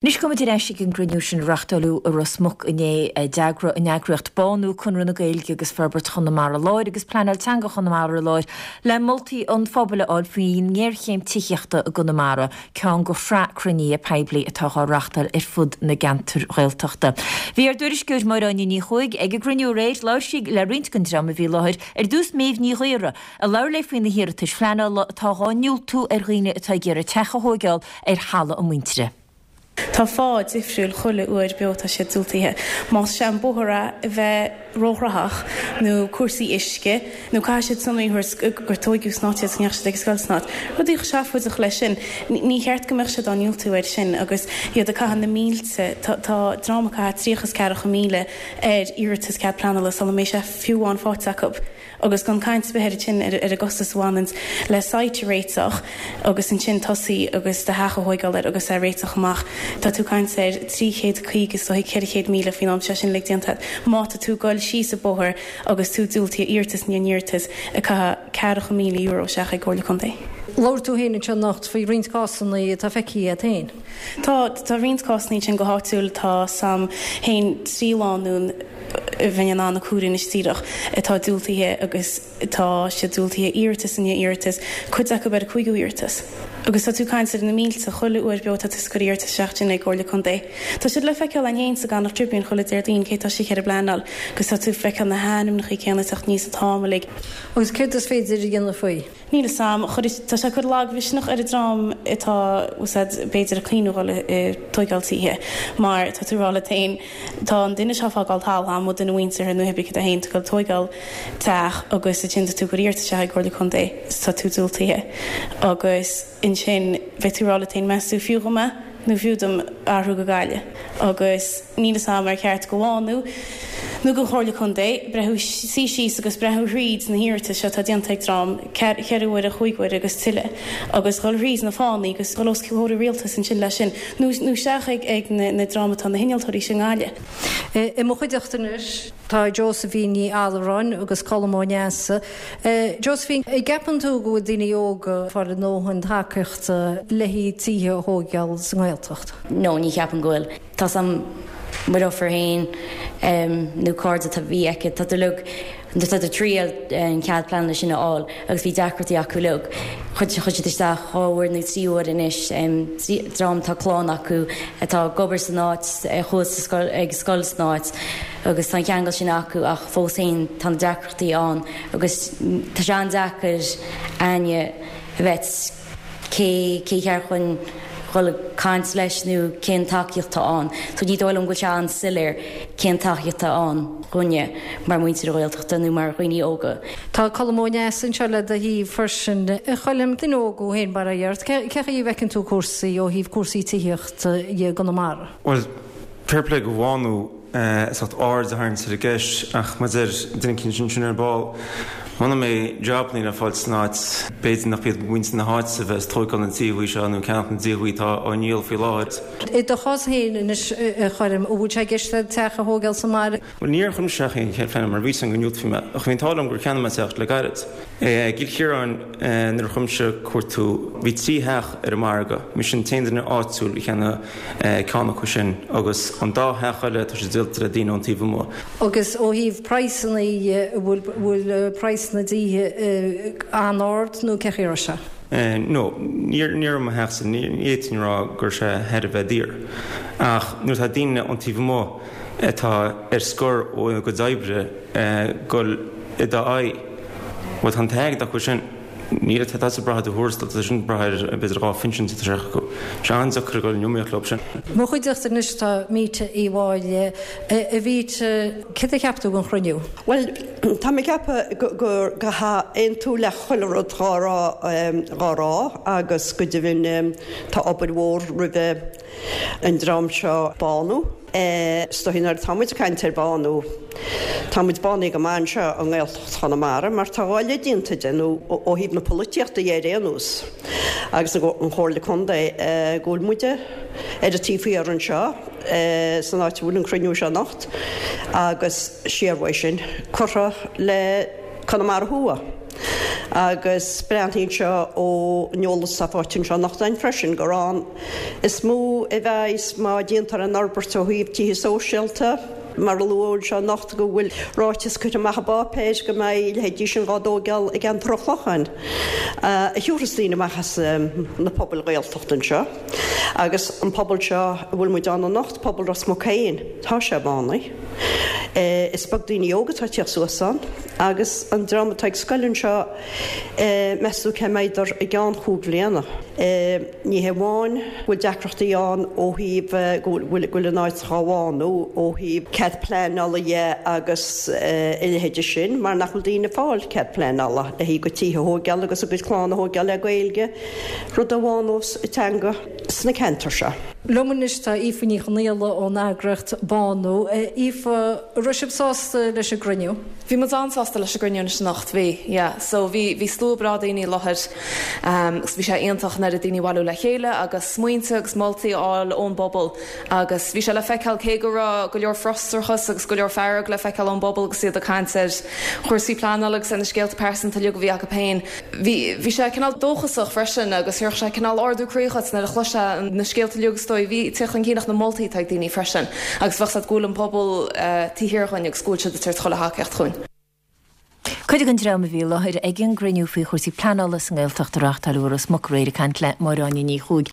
Anois gabhfaimid ar ais ag an gcruinniú sin a reachtáileadh i Ros Muc inné. D'eagraigh an eagraíocht Bánú, Conradh na Gaeilge agus Forbairt Chonamara Láir agus Pleanáil Teanga Chonamara Láir le moltaí an phobail a fháil faoin ngéarchéim tithíochta i gConamara, ceann de shraith cruinnithe poiblí atá á reachtáil ar fud na gceantar Ghaeltachta. Bhí ár dtuairisceoir Máire Áine Ní Chuaig ag an gcruinniú aréir. Labhair sí le roinnt den dream a bhí i láthair, ar dtús Méabh Ní Ghaora, a labhair léi faoi na hiarratais phleanála atá dhá ndiúltú ar dhaoine atá ag iarraidh teach a thóigeáil ar thalamh a muintire. Tá fáth difriúil chuile uair beo tá siad diúltaithe. Más sé an bóthar a bheith róghnóthach nó cúrsaí uisce nó caithfidh siad sonraí a thabhairt gur tóigeadh san áit iad 's go ndeachaigh siad ag an scoil san áit. Rudaí chomh seafóideach leis sin. Ní cheart go mbeadh siad á ndiúltú air sin agus iad ag caitheamh na mílte, tá dream ag caitheamh tríocha is ceathracha míle ar iarratas cead pleanála sula mbeidh sé fiú amháin faighte acu. Agus gan caint ar bith air ansin ar an gcostas a bhaineanns le site a réiteach agus ansin tosaí agus do theach a thóigeáil air agus é a réiteach amach. Tá tú ag caint ar 350 is dóigh 400,000 faoin am sé sin uilig déanta agat. Má tá tú ag goil síos an bóthar agus tú diúltaithe iarratas i ndiaidh iarratas ag caitheamh ceathracha míle euro isteach ag Comhairle Contae. Labhair tú féin anseo anocht faoi roinnt cásanna atá feicthe agat féin. Tá, tá roinnt cásanna ansin go háitiúil. Tá 's a'm féin 3 lánúin. a bheinn in ann a chur anois díreach, atá diúltaithe agus tá siad diúltaithe iarratas i ndiaidh iarratas, cuid acu ar a cúigiú iarratas. Agus tá tú ag caint ar na mílte chuile uair beo tá tú ag cur iarratas isteach ansin ag Comhairle Contae. Tá siad le feiceáil ann féin sa gConnacht Tribune chuile Déardaoin cé tá siad ag pleanáil agus tá tú ag feiceáil na hainmneacha céanna ag teacht aníos an t-am uilig. Agus céard is féidir a dhéanamh faoi? Níl 'fhios a'm. Tá sé ag cur lagmhisneach ar an dream atá, bhfuil 's a'd, b'fhéidir ag cuimhniú dhul ag tóigeáil tithe mar tá tú ag rá leat féin, tá an duine seo ag fágáil talamh a'm, nó duine mhuinteartha nó hibé cad é féin, tá ag tóigeáil teach agus ansin tá tú ag cur iarratas isteach ag Comhairle Contae is tá tú diúltaithe agus ansin beidh tú ag rá leat féin meas tú fiú dhom é? nó fiú dom athrú go Gaillimh agus níl 'fhios a'm ar cheart go Bhánú nó don Chomhairle Contae breathnú, suí síos agus breathnú thríd na hiarratais seo atá déanta ag dream ceithre huaire, chúig huaire agus tuilleadh agus dhul thríd na fáthanna agus dhul os comhair an rialtais ansin leis sin nó nó isteach ag ag na na dream atá na hinnealtóirí sin i nGaillimh. I mo chuideachta anois tá Josephine Ní Allmhuráin agus Colm Ó Neasa. Josephine, an gceapann tú go bhfuil daoine óga ag fáil a ndóthain tacaíochta le haghaidh tithe a thóigeáil sa nGaeltacht? No, ní cheapaim go bhfuil. Tá 's a'm mo dheirfiúr féin nó cairde a bhí aici, tá uilig, tá ag triail an cead pleanála sin a fháil agus bhí deacrachtaí acu uilig. Chuir siad isteach dhá uair nó trí uair anois, dream atá clann acu atá ag obair san áit, a chuaigh sa scoil, ag scoil san áit agus tá an ceangal sin acu ach fós féin tá na deacrachtaí ann agus tá sé an-deacair aithne a bheith cé cé cheart chun dhul ag caint leis nó cén tacaíocht atá ann. So ní dóigh liom go bhfuil sé an-soiléir cén tacaíocht atá ann dhúinne mar mhuintir na Gaeltachta nó mar dhaoine óga. Tá Colm Ó Neasa anseo le do thaobh freisin. A Choilm, duine óg thú féin, bail ó Dhia ort. Cé chaoi a bhfeiceann tú cúrsaí ó thaobh cúrsaí tithíochta i gConamara? Bhuel, fair play go Bhánú. as ucht aird a tharraingt ar an gceist ach mar a deir duine eicínt ansin ar ball, muna mbeidh jabannaí le fáil san áit, b'fhéidir nach iad muintir na háite a bheas ag tóigeáil na tithe seo nó ag ceannach na dtithe atá á ndíol faoi láthair. I do chás féin anois, a Choilm, an bhfuil sé i gceist agat teach a thóigeáil sa mbaile? Bhuel, níor chuir mise isteach aon chead pleanála mar bhí 'fhios a'm go ndiúltófaí mé, ach bhí an t-ádh liom gur cheannaigh mé teach le gairid. I gCill Chiaráin nuair a chuaigh mise ag cuartú, bhí 3 theach ar an margadh, mise an t-aon duine áitiúil a cheannaigh ceann acu sin agus an dá theach eile tá siad díolta le daoine ón taobh amuigh. Agus ó thaobh praghsanna dhe, an bhfuil bhfuil praghas na dtithe an-ard nó cé chaoi a raibh sé? No, ní ní raibh mo theachsa, ní fhéadfainn a rá go raibh sé thar a bheith daor. Ach nuair atá daoine ón taobh amuigh atá ar scor óna gcuid oibre ag dul i d'aghaidh, bhuel tá an t-airgead acu sin. Níl, tá siad ag brath ar do thuarastal, tá siad ag brath ar b'fhéidir 2 phinsean atá isteach acu. Tá sé an-deacair a dhul in iomaíocht leo sin. Mo chuideachta anois tá Míte Uí Mháille. A Mhíte, céard a cheap tú den chruinniú? Bhuel, tá mé ag ceapadh gur go aontú le chuile rud dhá rá dhá rá agus go deimhin tá obair mhór roimhe an dream seo Bánú. Is dóichí nuair atá muid ag caint ar Bánú, tá muid bánaithe go maith anseo i nGaeltacht Chonamara mar tá dhá leith déanta de, nó ó thaobh na polaitíochta dhe ar aon nós, agus an Chomhairle Contae, go bhfuil muide ar an taobh thiar anseo san áit a bhfuil an cruinniú seo anocht agus siar uaidh sin curtha le Conamara Thuaidh. Agus breathnaíonn sé ón eolas atá faighte anseo anocht againn freisin gur ann is mó a bheas má déantar an fhorbairt ó thaobh tithe sóisialta, mar a luadh anseo anocht go bhfuil ráiteas curtha amach i bpáipéir go mbeidh a leithéidí sin dhá dtóigeáil i gceantar an Chlocháin a thiúrfas daoine amach as na pobail Ghaeltachta anseo. Agus an pobal seo a bhfuil muid ann anocht, pobal Ros Muc féin, tá sé bánaithe. Is beag daoine óga atá ag tíocht suas ann agus an dream atá ag scoil anseo, meas tú cé mbeidh i gceann chúig bhliana? Ní hé amháin go bhfuil deacrachtaí ann ó thaobh go bhfuil an áit dhá bhánú ó thaobh cead pleanála dhe agus a leithéide sin mar nach bhfuil daoine ag fáil cead pleanála le haghaidh a gcuid tithe a thóigeáil agus a gcuid clann a thóigeáil le Gaeilge, rud a bhánós an teanga sna ceantair seo. Liom anois tá Aoife Ní Chonaola ón eagraíocht Bánú. Aoife, an raibh sibh sásta leis an gcruinniú? Bhí muid an-sásta leis an gcruinniú anois anocht, bhí, yeah. So bhí, bhí slua breá daoine i láthair agus bhí sé iontach an oiread daoine a bhailiú le chéile agus smaointe agus moltaí a fháil ón bpobal agus bhí sé le feiceáil cé go raibh go leor frustrachas agus go leor fearg le feiceáil ón bpobal agus iad ag caint ar chúrsaí pleanála agus ar na scéalta pearsanta uilig a bhí acu féin. Bhí, bhí sé cineál dóchasach freisin agus thabharfadh sé cineál ardú croí dhuit nuair a chloisfeá na scéalta uilig is dóigh a bhí ag teacht chun cinn ach na moltaí atá ag daoine freisin agus bheadh 's agat go bhfuil an pobal taobh thiar dhúinn agus go bhfuil siad ag tabhairt chuile thacaíocht chugainn. Cuid den dream a bhí i láthair ag an gcruinniú faoi chúrsaí pleanála sa nGaeltacht a reáchtáileadh i Ros Muc aréir ag caint le Máire Áine Ní Chuaig.